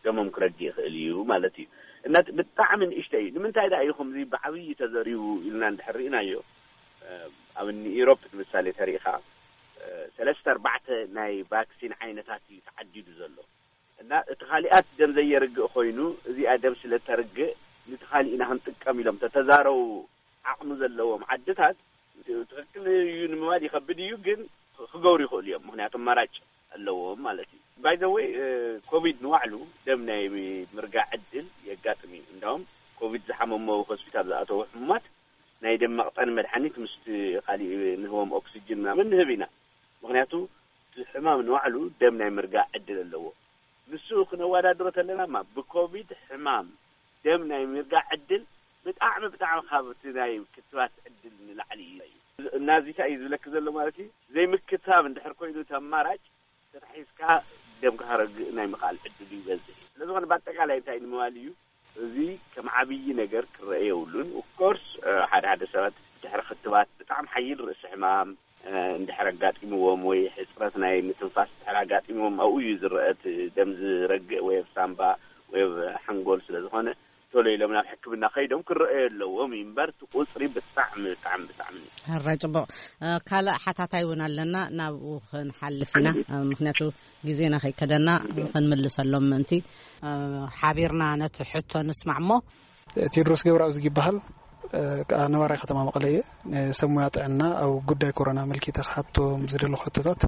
ደሞም ክረግእ ይኽእል እዩ ማለት እዩ። እና ብጣዕሚ ንእሽተይ እዩ። ንምንታይ ደኣ እዩ ከምዚ ብዓብዪ ተዘሪቡ ኢልና እንድሕር ርኢናዮ፣ ኣብ እኒ ኢሮፕ ንምሳሌ ተሪኢኻ ሰለስተ ኣርባዕተ ናይ ቫክሲን ዓይነታት እዩ ተዓዲዱ ዘሎ። እና እቲ ካሊኣት ደም ዘየርግእ ኮይኑ እዚኣ ደም ስለ ተርግእ ንቲ ካሊእና ክንጥቀም ኢሎም ተተዛረቡ ዓቕሚ ዘለዎም ዓድታት ትኽክል እዩ ንምባል ይኸብድ እዩ፣ ግን ክገብሩ ይኽእሉ እዮም። ምክንያቱ ኣማራጭ ኣለዎም ማለት እዩ። ባይ ዘ ወይ ኮቪድ ንባዕሉ ደም ናይ ምርጋእ ዕድል የጋጥም እዩ። እንዳውም ኮቪድ ዝሓመሞ ሆስፒታል ዝኣተዉ ሕሙማት ናይ ደም መቕጠኒ መድሓኒት ምስቲ ካሊእ ንህቦም ኦክስጅን ምናምን ንህብ ኢና። ምክንያቱ እቲ ሕማም ንባዕሉ ደም ናይ ምርጋእ ዕድል ኣለዎ። ንሱ ክነወዳድሮ ተለና ማ ብኮቪድ ሕማም ደም ናይ ምርጋእ ዕድል ብጣዕሚ ብጣዕሚ ካብ እቲ ናይ ክትባት ዕድል ንላዕሊ እዩ። እና እዚ እንታይ እዩ ዝብለኪ ዘሎ ማለት እዩ፣ ዘይምክታብ እንድሕር ኮይኑ እቲ ኣማራጭ ተታሒዝካ ደምካ ከረግእ ናይ ምኽኣል ዕድሉ ይበዝሕ እዩ። ስለዝኾነ ብኣጠቃላይ እንታይ ንምባል እዩ፣ እዚ ከም ዓብዪ ነገር ክረአ የብሉን። ኦፍኮርስ ሓደ ሓደ ሰባት ድሕሪ ክትባት ብጣዕሚ ሓይል ርእሲ ሕማም እንድሕር ኣጋጢምዎም ወይ ሕፅረት ናይ ምትንፋስ እንድሕር ኣጋጢምዎም ኣብኡ እዩ ዝረአ እቲ ደም ዝረግእ ወይ ኣብ ሳምባ ወይ ኣብ ሓንጎል ስለ ዝኾነ ቶሎ ኢሎም ናብ ሕክምና ከይዶም ክረአዩ ኣለዎም እዩ እምበር እቲ ቁፅሪ ብጣዕሚ ብጣዕሚ ብጣዕሚ ሕራይ ፅቡቕ። ካልእ ሓታታይ እውን ኣለና፣ ናብኡ ክንሓልፍ ኢና። ምክንያቱ ግዜና ከይከደና ክንምልሰሎም ምእንቲ ሓቢርና ነቲ ሕቶ ንስማዕ እሞ። ቴድሮስ ገብረኣብ ዝጊበሃል ከዓ ነባራይ ከተማ መቐለ እየ። ንሰብ ሞያ ጥዕና ኣብ ጉዳይ ኮሮና ኣመልኪተ ክሓቶም ዝደለኹ ሕቶታት፣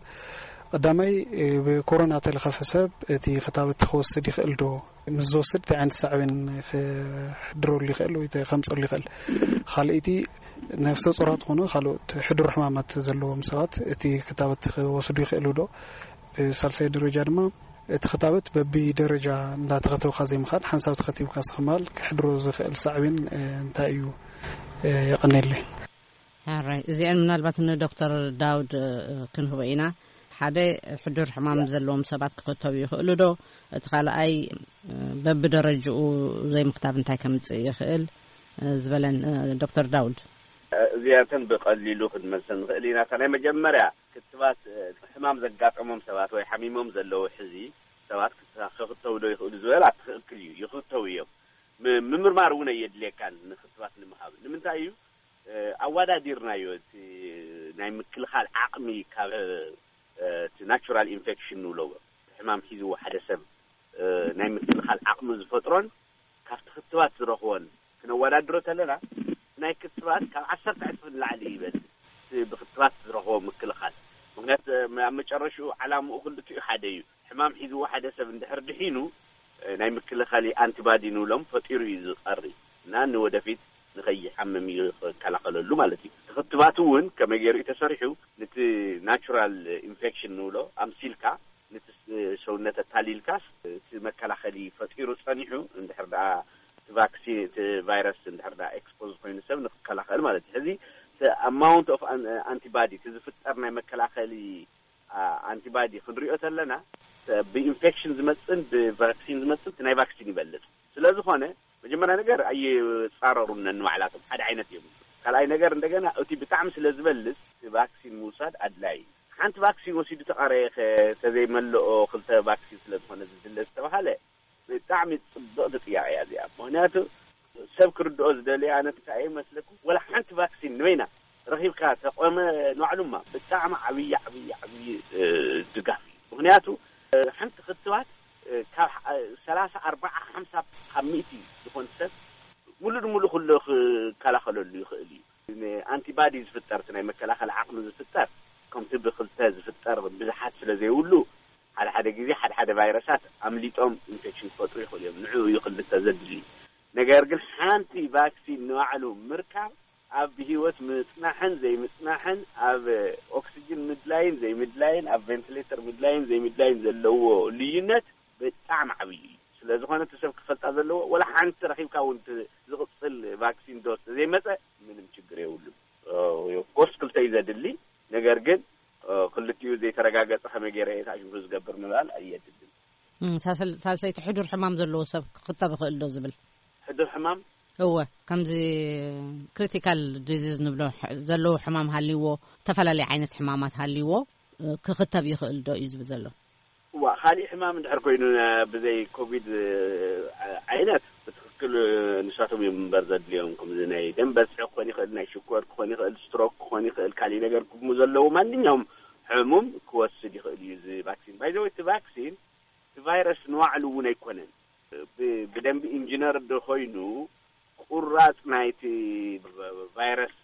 ቀዳማይ ብኮሮና ተለኸፈ ሰብ እቲ ክታበት ክወስድ ይኽእል ዶ? ምስ ዝወስድ እንታይ ዓይነት ሳዕቤን ክሕድረሉ ይኽእል ወይ ከምፀሉ ይኽእል? ካልኣይቲ ነፍሰ ጾራት ኮነ ካልኦት ሕዱር ሕማማት ዘለዎም ሰባት እቲ ክታበት ክወስዱ ይኽእሉ ዶ? ብሳልሳይ ደረጃ ድማ እቲ ክታበት በቢ ደረጃ እንዳተኸተብካ ዘይምኻድ ሓንሳብ ተኸቲብካ ስኽማል ክሕድሮ ዝኽእል ሳዕቤን እንታይ እዩ? የቐኔለይ። ሕራይ እዚአን ምናልባት ንዶክተር ዳውድ ክንህቦ ኢና። ሓደ ሕዱር ሕማም ዘለዎም ሰባት ክኽተቡ ይኽእሉ ዶ? እቲ ካልኣይ በብደረጅኡ ዘይምክታብ እንታይ ከምፅእ ይኽእል ዝበለን ዶክተር ዳውድ። እዚኣተን ብቐሊሉ ክንመልሰን ንኽእል ኢና። እታ ናይ መጀመርያ ክትባት ሕማም ዘጋጠሞም ሰባት ወይ ሓሚሞም ዘለዉ ሕዚ ሰባት ክኽተቡ ዶ ይኽእሉ ዝበላ ትኽክል እዩ፣ ይኽተቡ እዮም። ምምርማር እውን ኣየድልየካን ንክትባት ንምሃብ። ንምንታይ እዩ ኣዋዳዲርናዮ? እቲ ናይ ምክልኻል ዓቕሚ ካብ እቲ ናቹራል ኢንፌክሽን ንብሎ ሕማም ሒዝዎ ሓደ ሰብ ናይ ምክልኻል ዓቕሚ ዝፈጥሮን ካብቲ ክትባት ዝረኽቦን ክነወዳድሮ ተለና ናይ ክትባት ካብ ዓሰርተ ዕፅፊ ንላዕሊ ይበልፅ ብክትባት ዝረኽቦ ምክልኻል። ምክንያቱ ኣብ መጨረሽኡ ዓላምኡ ክልቲኡ ሓደ እዩ። ሕማም ሒዝዎ ሓደ ሰብ እንድሕር ድሒኑ ናይ ምክልኻል ኣንቲባዲ ንብሎም ፈጢሩ እዩ ዝቐሪ እና ንወደፊት ንኸይሓምም እዩ ክከላኸለሉ ማለት እዩ። ክትባት እውን ከመይ ገይሩ እዩ ተሰሪሑ? ነቲ ናቹራል ኢንፌክሽን ንብሎ ኣምሲልካ ነቲ ሰውነት ኣታሊልካስ እቲ መከላኸሊ ፈጢሩ ጸኒሑ፣ እንድሕር ደኣ እቲ ቫክሲን፣ እቲ ቫይረስ እንድሕር ደኣ ኤክስፖዝ ኮይኑ ሰብ ንክከላኸል ማለት እዩ። ሕዚ ኣማውንት ኦፍ ኣንቲባዲ፣ እቲ ዝፍጠር ናይ መከላኸሊ ኣንቲባዲ ክንሪኦ ተለና፣ ብኢንፌክሽን ዝመፅን ብቫክሲን ዝመፅን እቲ ናይ ቫክሲን ይበልፅ። ስለዝኾነ መጀመርያ ነገር ኣይፃረሩን ነንባዕላቶም፣ ሓደ ዓይነት እዮም። ካልኣይ ነገር እንደገና እቲ ብጣዕሚ ስለ ዝበልፅ እቲ ቫክሲን ምውሳድ ኣድላይ እዩ። ሓንቲ ቫክሲን ወሲዱ ተቐረየ ከ ተዘይመልኦ፣ ክልተ ቫክሲን ስለ ዝኾነ ዝድለ ዝተባሃለ ብጣዕሚ ፅብቕቲ ጥያቄ እያ እዚኣ። ምክንያቱ ሰብ ክርድኦ ዝደልየ ኣነ እንታይ እየ መስለኩም፣ ወላ ሓንቲ ቫክሲን ንበይና ረኺብካ ተቆመ ንባዕሉማ ብጣዕሚ ዓብዪ ዓብዪ ዓብዪ ድጋፍ እዩ። ምክንያቱ ሓንቲ ክትባት ካብ ሰላሳ ኣርባዓ ሓምሳ ካብ ሚእቲ ዝኾን ሰብ ሙሉእ ንሙሉእ ኩሉ ክከላኸለሉ ይኽእል እዩ። ኣንቲባዲ ዝፍጠር፣ እቲ ናይ መከላኸል ዓቕሚ ዝፍጠር፣ ከምቲ ብክልተ ዝፍጠር ብዙሓት ስለ ዘይብሉ፣ ሓደ ሓደ ግዜ ሓደ ሓደ ቫይረሳት ኣምሊጦም ኢንፌክሽን ክፈጥሩ ይኽእሉ እዮም። ንዕኡ እዩ ክልተ ዘድሊ። ነገር ግን ሓንቲ ቫክሲን ንባዕሉ ምርካብ ኣብ ብህይወት ምጽናሕን ዘይምጽናሕን፣ ኣብ ኦክሲጅን ምድላይን ዘይምድላይን፣ ኣብ ቬንቲሌተር ምድላይን ዘይምድላይን ዘለዎ ልዩነት ብጣዕሚ ዓብዪ እዩ። ስለ ዝኾነ እቲ ሰብ ክፈልጣ ዘለዎ፣ ወላ ሓንቲ ረኺብካ እውን እቲ ዝቕጽል ቫክሲን ዶስ ዘይመጸ ምንም ችግር የብሉን። ኦፍኮርስ ክልተ እዩ ዘድሊ። ነገር ግን ክልቲኡ ዘይተረጋገጸ ከመይ ገይረ እየ ታሽሙ ዝገብር ምባል ኣየድልን። ሳልሰይቲ ሕዱር ሕማም ዘለዎ ሰብ ክኽተብ ይኽእል ዶ ዝብል? ሕዱር ሕማም? እወ፣ ከምዚ ክሪቲካል ዲዚዝ ንብሎ ዘለዉ ሕማም ሃልይዎ፣ ዝተፈላለየ ዓይነት ሕማማት ሃልይዎ ክኽተብ ይኽእል ዶ እዩ ዝብል ዘሎ? እዋ፣ ካሊእ ሕማም እንድሕር ኮይኑ ብዘይ ኮቪድ ዓይነት ብትኽክል ንሳቶም እዮም እምበር ዘድልዮም። ከምዚ ናይ ደም በዝሒ ክኾን ይኽእል፣ ናይ ሽኮር ክኾን ይኽእል፣ ስትሮክ ክኾን ይኽእል፣ ካሊእ ነገር ክሙ ዘለዎ ማንኛውም ሕሙም ክወስድ ይኽእል እዩ እዚ ቫክሲን። ባይዘወይ እቲ ቫክሲን እቲ ቫይረስ ንባዕሉ እውን ኣይኮነን። ብደንቢ ኢንጂነር ዶ ኮይኑ ቁራፅ ናይቲ ቫይረስ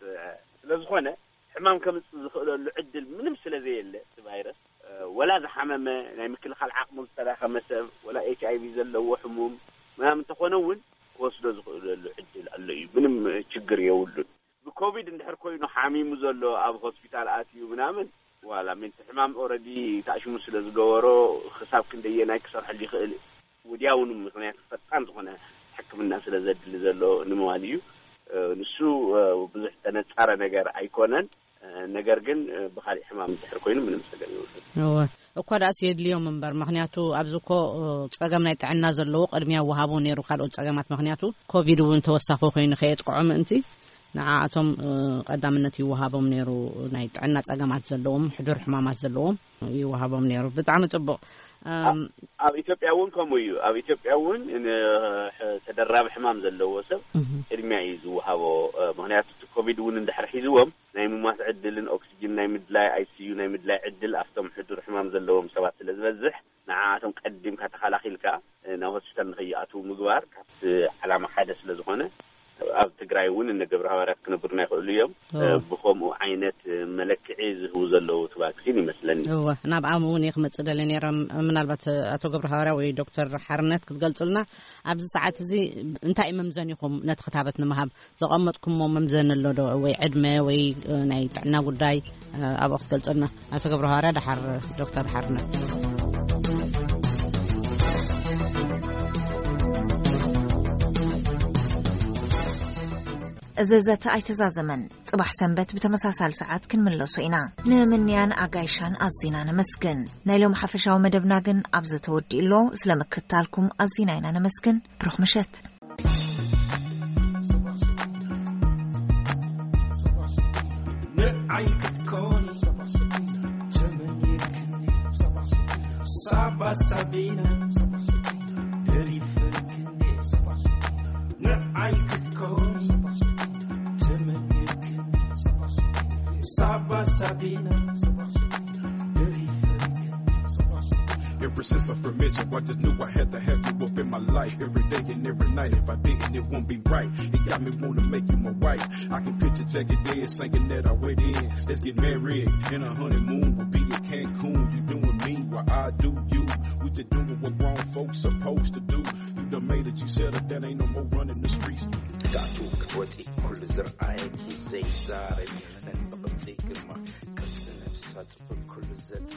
ስለ ዝኾነ ሕማም ከምፅእ ዝኽእለሉ ዕድል ምንም ስለ ዘየለ፣ እቲ ቫይረስ ወላ ዝሓመመ ናይ ምክልኻል ዓቕሙ ዝተዳኸመ ሰብ፣ ወላ ኤች ኣይ ቪ ዘለዎ ሕሙም ምናምን እንተኾነ እውን ክወስዶ ዝኽእለሉ ዕድል ኣሎ እዩ። ምንም ችግር የብሉን። ብኮቪድ እንድሕር ኮይኑ ሓሚሙ ዘሎ ኣብ ሆስፒታል ኣትዩ ምናምን ዋላ ምንቲ ሕማም ኦረዲ ታእሽሙ ስለ ዝገበሮ ክሳብ ክንደየናይ ክሰርሐሉ ይኽእል ወዲያውኑ፣ ምክንያቱ ፈጣን ዝኾነ ሕክምና ስለ ዘድሊ ዘሎ ንምባል እዩ። ንሱ ብዙሕ ተነፃረ ነገር ኣይኮነን። ነገር ግን ብካሊእ ሕማም እንድሕር ኮይኑ ምንም ፀገም የብሉን። እወ፣ እኳ ደኣስ የድልዮም እምበር፣ ምክንያቱ ኣብዚ እኮ ፀገም ናይ ጥዕና ዘለዎ ቅድሚያ ወሃቦ ነይሩ ካልኦት ፀገማት። ምክንያቱ ኮቪድ እውን ተወሳኺ ኮይኑ ከየጥቅዖ ምእንቲ ንዓኣቶም ቀዳምነት ይወሃቦም ነይሩ። ናይ ጥዕና ፀገማት ዘለዎም፣ ሕዱር ሕማማት ዘለዎም ይወሃቦም ነይሩ። ብጣዕሚ ፅቡቕ። ኣብ ኢትዮጵያ እውን ከምኡ እዩ። ኣብ ኢትዮጵያ እውን ተደራቢ ሕማም ዘለዎ ሰብ ቅድሚያ እዩ ዝወሃቦ። ምክንያቱ እቲ ኮቪድ እውን እንድሕር ሒዝዎም ናይ ምሟት ዕድልን ኦክሲጅን ናይ ምድላይ፣ ኣይ ሲ ዩ ናይ ምድላይ ዕድል ኣብቶም ሕዱር ሕማም ዘለዎም ሰባት ስለ ዝበዝሕ፣ ንዓኣቶም ቀዲምካ ተኸላኺልካ ናብ ሆስፒታል ንኸይኣትዉ ምግባር ካብቲ ዓላማ ሓደ ስለ ዝኾነ፣ ኣብ ትግራይ እውን እነ ገብረ ሃዋርያት ክነብሩና ይኽእሉ እዮም። ብኸምኡ ዓይነት መለክዒ ዝህቡ ዘለዉ እቲ ቫክሲን ይመስለኒ። እወ፣ ናብ ኣም እውን እየ ክመፅእ ደለ ነይረ። ምናልባት ኣቶ ገብረ ሃዋርያ ወይ ዶክተር ሓርነት ክትገልፁልና፣ ኣብዚ ሰዓት እዚ እንታይ እዩ መምዘኒኹም ነቲ ክታበት ንምሃብ ዘቐመጥኩሞ መምዘኒ ኣሎ ዶ? ወይ ዕድመ ወይ ናይ ጥዕና ጉዳይ ኣብኡ ክትገልፀልና። ኣቶ ገብረ ሃዋርያ ደሓር ዶክተር ሓርነት። እዚ ዘተ ኣይተዛዘመን። ጽባሕ ሰንበት ብተመሳሳሊ ሰዓት ክንምለሶ ኢና። ንምንያን ኣጋይሻን ኣዚና ነመስግን። ናይ ሎም ሓፈሻዊ መደብና ግን ኣብዚ ተወዲኡ ኣሎ። ስለ ምክትታልኩም ኣዚና ኢና ነመስግን። ብሩኽ ምሸት። ንዓይ ክትኮኒ ተመኒትክኒ ሳባ ሳቢና ደሪፈልክኒ ንዓይ ክትኮኒ ተመኒትክኒ ሳባ ሳቢና ደሪፈልክኒ Ever since I first met you, I just knew I had to have you up in my life every day and every night. If I didn't, it won't be right. It got me wanna make you my wife. I can picture Jackie Dead singing that I went in. Let's get married and a honeymoon. We'll be in Cancun. You doing me while I do you. We just doing what grown folks supposed to do. You done made it. You settled down. Ain't no more running the streets. ዳቱ ክትወፂ ኩሉ ዝረኣየኪ ዘይዛረብ ይኽነን ብቕብፀይ ግርማ ቅርፂ ነብሳ ፅቡቅ ኩሉ ዘት